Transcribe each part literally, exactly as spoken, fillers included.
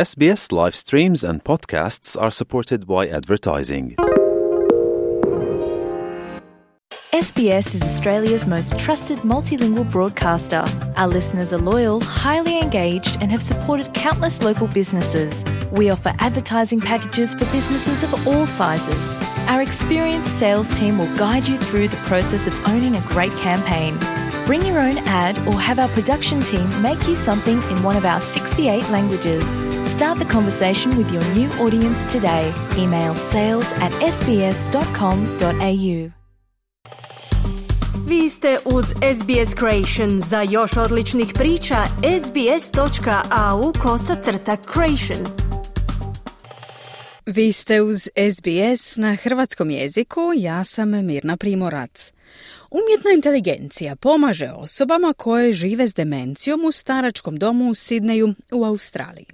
S B S live streams and podcasts are supported by advertising. S B S is Australia's most trusted multilingual broadcaster. Our listeners are loyal, highly engaged, and have supported countless local businesses. We offer advertising packages for businesses of all sizes. Our experienced sales team will guide you through the process of owning a great campaign. Bring your own ad or have our production team make you something in one of our sixty-eight languages. Start the conversation with your new audience today. Email sales at s b s dot com dot a u. Vi ste uz S B S Creation. Za još odličnih priča, sbs.au kosacrta creation. Vi ste uz S B S na hrvatskom jeziku, ja sam Mirna Primorac. Umjetna inteligencija pomaže osobama koje žive s demencijom u staračkom domu u Sidneju u Australiji.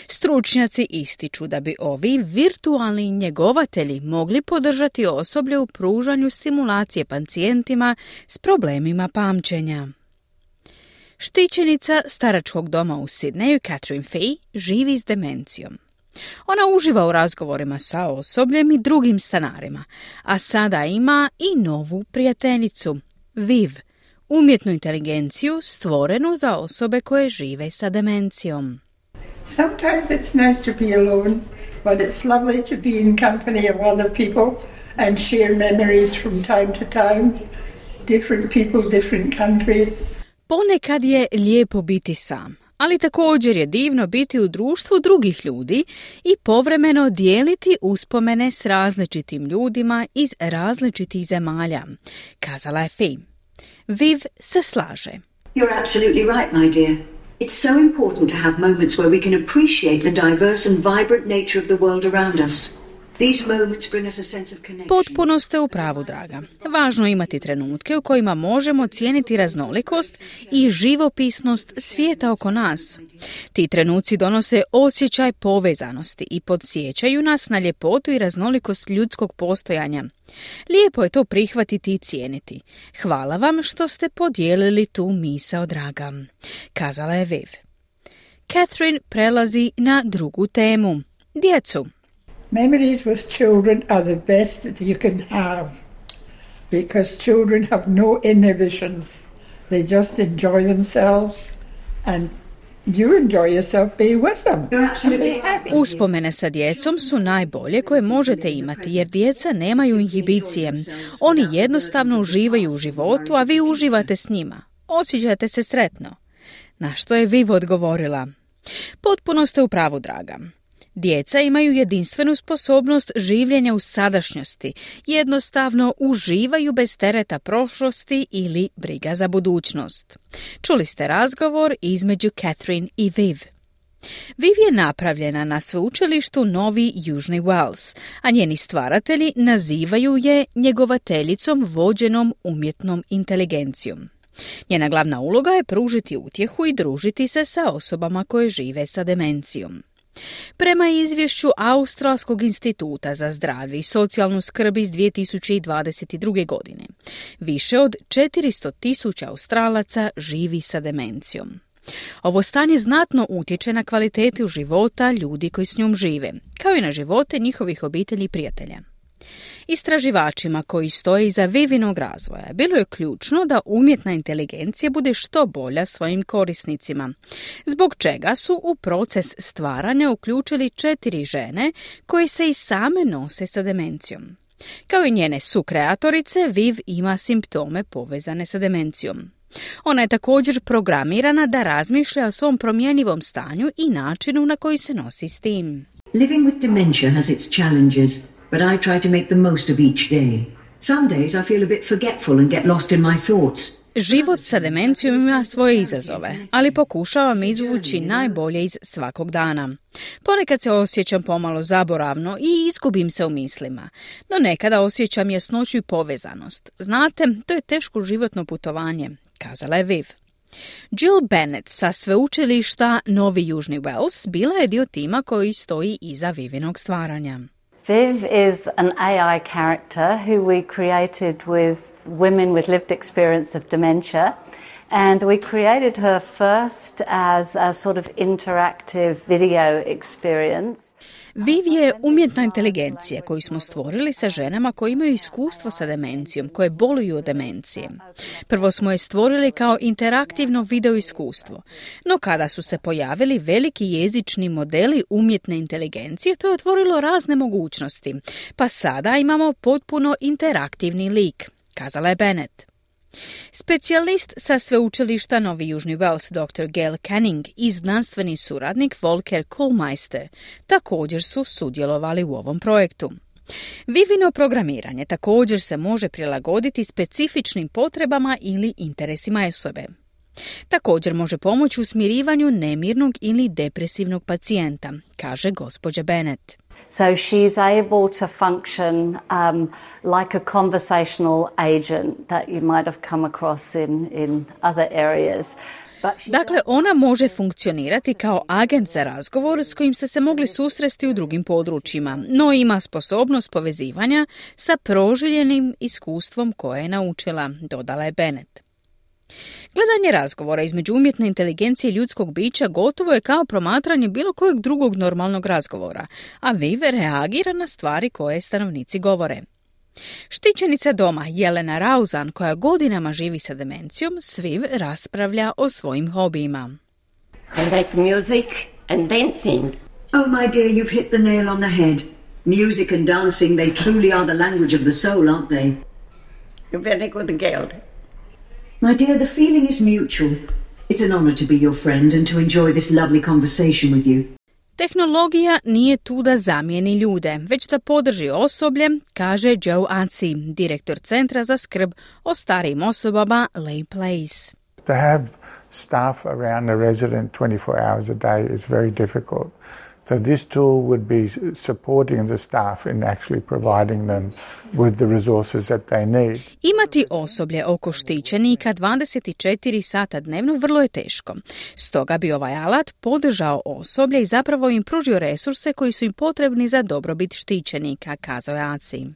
Stručnjaci ističu da bi ovi virtualni njegovatelji mogli podržati osoblje u pružanju stimulacije pacijentima s problemima pamćenja. Štićenica staračkog doma u Sidneju, Catherine Fee, živi s demencijom. Ona uživa u razgovorima sa osobljem i drugim stanarima, a sada ima i novu prijateljicu, Viv, umjetnu inteligenciju stvorenu za osobe koje žive sa demencijom. Sometimes it's nice to be alone, but it's lovely to be in company of other people and share memories from time to time. Different people, different countries. Ponekad je lijepo biti sam, ali također je divno biti u društvu drugih ljudi i povremeno dijeliti uspomene s različitim ljudima iz različitih zemalja, kazala je Fee. Viv se slaže. You're absolutely right, my dear. It's so important to have moments where we can appreciate the diverse and vibrant nature of the world around us. These moments bring us a sense of connection. Potpuno ste u pravu, draga. Važno je imati trenutke u kojima možemo cijeniti raznolikost i živopisnost svijeta oko nas. Ti trenuci donose osjećaj povezanosti i podsjećaju nas na ljepotu i raznolikost ljudskog postojanja. Lijepo je to prihvatiti i cijeniti. Hvala vam što ste podijelili tu misao, draga, kazala je Viv. Catherine prelazi na drugu temu, djecu. Memories with children are the best that you can have because children have no inhibitions. They just enjoy themselves and you enjoy yourself being with them. You're absolutely happy. Uspomene sa djecom su najbolje koje možete imati jer djeca nemaju inhibicije. Oni jednostavno uživaju u životu, a vi uživate s njima. Osjećate se sretno. Na što je Viv odgovorila? Potpuno ste u pravu, draga. Djeca imaju jedinstvenu sposobnost življenja u sadašnjosti, jednostavno uživaju bez tereta prošlosti ili briga za budućnost. Čuli ste razgovor između Catherine i Viv. Viv je napravljena na sveučilištu Novi Južni Wales, a njeni stvaratelji nazivaju je njegovateljicom vođenom umjetnom inteligencijom. Njena glavna uloga je pružiti utjehu i družiti se sa osobama koje žive sa demencijom. Prema izvješću Australskog instituta za zdravlje i socijalnu skrb iz dvije tisuće dvadeset druge. godine, više od četiristo tisuća Australaca živi sa demencijom. Ovo stanje znatno utječe na kvalitetu života ljudi koji s njom žive, kao i na živote njihovih obitelji i prijatelja. Istraživačima koji stoje iza Vivinog razvoja bilo je ključno da umjetna inteligencija bude što bolja svojim korisnicima, zbog čega su u proces stvaranja uključili četiri žene koje se i same nose sa demencijom. Kao i njene sukreatorice, Viv ima simptome povezane sa demencijom. Ona je također programirana da razmišlja o svom promjenjivom stanju i načinu na koji se nosi s tim. Living with dementia has its challenges, but I try to make the most of each day. Some days I feel a bit forgetful and get lost in my thoughts. Život sa demencijom ima svoje izazove, ali pokušavam izvući najbolje iz svakog dana. Ponekad se osjećam pomalo zaboravno i izgubim se u mislima, no nekada osjećam jasnoću i povezanost. Znate, to je teško životno putovanje, kazala je Viv. Jill Bennett sa sveučilišta Novi Južni Wales bila je dio tima koji stoji iza Vivinog stvaranja. Viv is an A I character who we created with women with lived experience of dementia, And we created her first as a sort of interactive video experience. Viv je umjetna inteligencija koju smo stvorili sa ženama koje imaju iskustvo sa demencijom, koje boluju od demencije. Prvo smo je stvorili kao interaktivno video iskustvo, no kada su se pojavili veliki jezični modeli umjetne inteligencije, to je otvorilo razne mogućnosti, pa sada imamo potpuno interaktivni lik, kazala je Bennett. Specijalist sa sveučilišta Novi Južni Wales doktor Gail Canning i znanstveni suradnik Volker Kohlmeister također su sudjelovali u ovom projektu. Vivino programiranje također se može prilagoditi specifičnim potrebama ili interesima osobe. Također može pomoći u smirivanju nemirnog ili depresivnog pacijenta, kaže gospođa Bennett. So she's able to function um, like a conversational agent that you might have come across in, in other areas. Dakle, ona može funkcionirati kao agent za razgovor s kojim ste se mogli susresti u drugim područjima, no ima sposobnost povezivanja sa proživljenim iskustvom koje je naučila, dodala je Bennett. Gledanje razgovora između umjetne inteligencije i ljudskog bića gotovo je kao promatranje bilo kojeg drugog normalnog razgovora, a Viv reagira na stvari koje stanovnici govore. Štićenica doma Jelena Rauzan, koja godinama živi sa demencijom, s Viv raspravlja o svojim hobijima. I like music and dancing. Oh, my dear, you've hit the nail on the head. Music and dancing, they truly are the language of the soul, aren't they? You're very good girl. My dear, the feeling is mutual. It's an honor to be your friend and to enjoy this lovely conversation with you. Tehnologija nije tu da zamijeni ljude, već da podrži osoblje, kaže Joe Ansi, direktor Centra za skrb o starijim osobama Lay Place. To have staff around the resident twenty-four hours a day is very difficult. So this tool would be supporting the staff in actually providing them with the resources that they need. Imati osoblje oko štićenika dvadeset četiri sata dnevno vrlo je teško. Stoga bi ovaj alat podržao osoblje i zapravo im pružio resurse koji su im potrebni za dobrobit štićenika, kazao je Aci.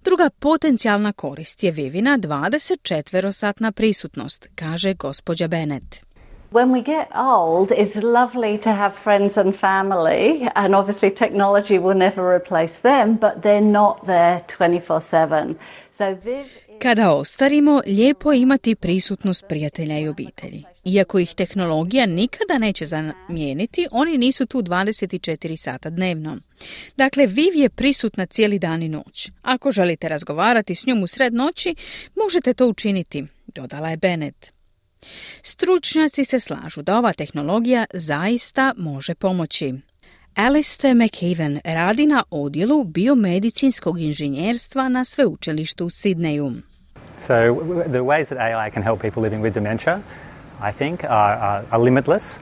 Druga potencijalna korist je Vivina dvadesetčetverosatna prisutnost, kaže gospođa Bennett. When we get old, it's lovely to have friends and family, and obviously technology will never replace them, but they're not there twenty-four seven. So Viv Kada ostarimo, lijepo je imati prisutnost prijatelja i obitelji. Iako ih tehnologija nikada neće zamijeniti, oni nisu tu dvadeset četiri sata dnevno. Dakle, Viv je prisutna cijeli dan i noć. Ako želite razgovarati s njom u sred noći, možete to učiniti, dodala je Bennett. Stručnjaci se slažu da ova tehnologija zaista može pomoći. Alistair McEwen radi na odjelu biomedicinskog inženjerstva na sveučilištu u Sidneju. So the ways that A I can help people living with dementia, I think, are, are, are limitless.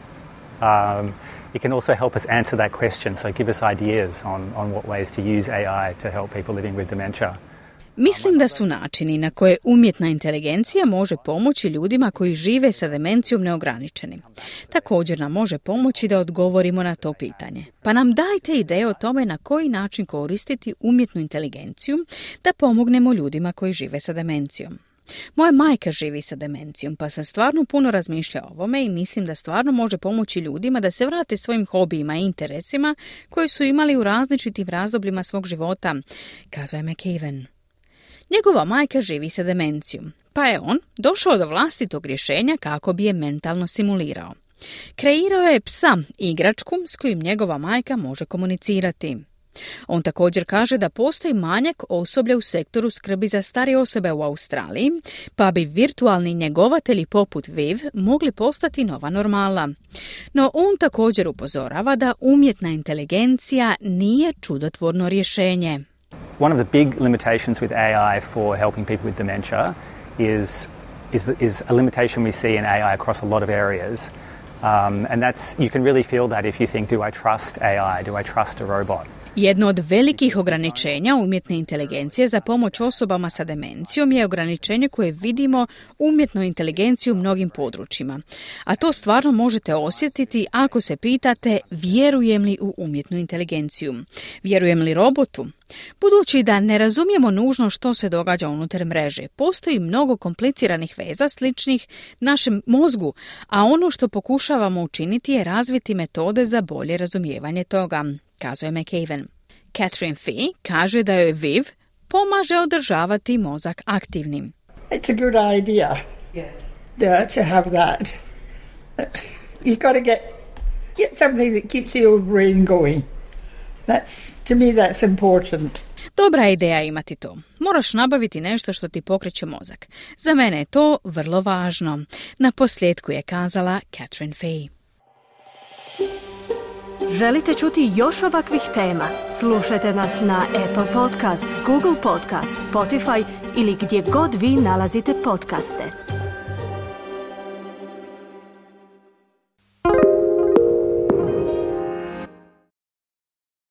Um, it can also help us answer that question, so give us ideas on, on what ways to use A I to help people living with dementia. Mislim da su načini na koje umjetna inteligencija može pomoći ljudima koji žive sa demencijom neograničeni. Također nam može pomoći da odgovorimo na to pitanje. Pa nam dajte ideje o tome na koji način koristiti umjetnu inteligenciju da pomognemo ljudima koji žive sa demencijom. Moja majka živi sa demencijom, pa sam stvarno puno razmišljala o ovome i mislim da stvarno može pomoći ljudima da se vrate svojim hobijima i interesima koji su imali u različitim razdobljima svog života, kazao je McEwen. Njegova majka živi sa demencijom, pa je on došao do vlastitog rješenja kako bi je mentalno simulirao. Kreirao je psa, igračku s kojim njegova majka može komunicirati. On također kaže da postoji manjak osoblja u sektoru skrbi za starije osobe u Australiji, pa bi virtualni njegovatelji poput Viv mogli postati nova normala. No on također upozorava da umjetna inteligencija nije čudotvorno rješenje. One of the big limitations with A I for helping people with dementia is, is, is a limitation we see in A I across a lot of areas. Um, and that's, you can really feel that if you think, do I trust A I? Do I trust a robot? Jedno od velikih ograničenja umjetne inteligencije za pomoć osobama sa demencijom je ograničenje koje vidimo umjetnoj inteligenciji u mnogim područjima. A to stvarno možete osjetiti ako se pitate vjerujem li u umjetnu inteligenciju. Vjerujem li robotu? Budući da ne razumijemo nužno što se događa unutar mreže, postoji mnogo kompliciranih veza sličnih našem mozgu, a ono što pokušavamo učiniti je razviti metode za bolje razumijevanje toga, kazuje McAven. Catherine Fee kaže da joj Viv pomaže održavati mozak aktivnim. It's a good idea yeah, to have that. You've got to get, get something that keeps the old brain going. That's, to me that's important. Dobra ideja imati to. Moraš nabaviti nešto što ti pokreće mozak. Za mene je to vrlo važno. Na posljedku je kazala Catherine Fee. Želite čuti još ovakvih tema? Slušajte nas na Apple Podcast, Google Podcast, Spotify ili gdje god vi nalazite podcaste.